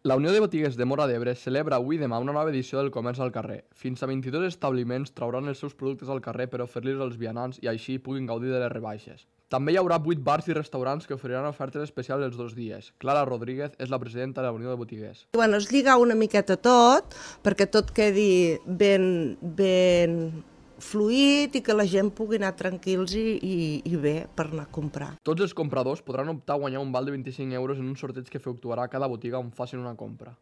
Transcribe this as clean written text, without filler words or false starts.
La Unió de Botiguers de Móra d'Ebre celebra avui i demà una nova edició del comerç al carrer. Fins a 22 establiments trauran els seus productes al carrer per oferir-los als vianants i així puguin gaudir de les rebaixes. També hi haurà 8 bars i restaurants que oferiran ofertes especials els 2 dies. Clara Rodríguez és la presidenta de la Unió de Botiguers. Es lliga una miqueta tot, perquè tot quedi ben fluid i que la gent pugui anar tranquils i bé per anar a comprar. Tots els compradors podran optar a guanyar un val de 25 euros en un sorteig que efectuarà cada botiga on facin una compra.